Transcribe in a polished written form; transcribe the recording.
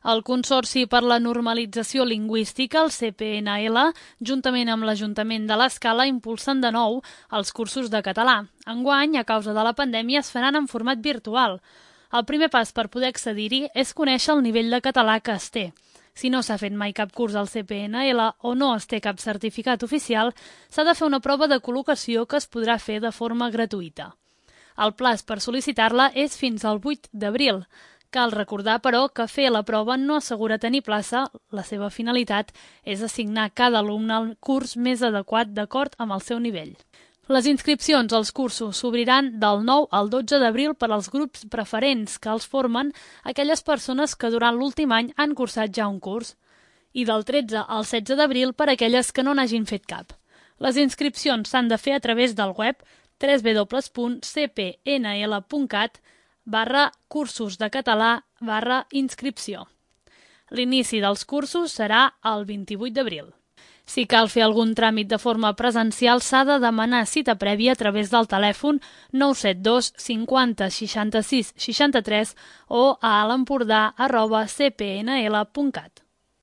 El Consorci per la Normalització Lingüística, el CPNL, juntament amb l'Ajuntament de l'Escala, impulsen de nou els cursos de català. Enguany, a causa de la pandèmia, es faran en format virtual. El primer pas per poder accedir-hi és conèixer el nivell de català que es té. Si no s'ha fet mai cap curs al CPNL o no es té cap certificat oficial, s'ha de fer una prova de col·locació que es podrà fer de forma gratuïta. El plaç per sol·licitar-la és fins al 8 d'abril. Cal recordar, però, que fer la prova no assegura tenir plaça. La seva finalitat és assignar cada alumne al curs més adequat d'acord amb el seu nivell. Les inscripcions als cursos s'obriran del 9 al 12 d'abril per als grups preferents que els formen aquelles persones que durant l'últim any han cursat ja un curs i del 13 al 16 d'abril per aquelles que no n'hagin fet cap. Les inscripcions s'han de fer a través del web www.cpnl.cat/cursos de català/inscripció. L'inici dels cursos serà el 28 d'abril. Si cal fer algun tràmit de forma presencial, s'ha de demanar cita prèvia a través del telèfon 972 50 66 63 o a l'empordà@cpnl.cat.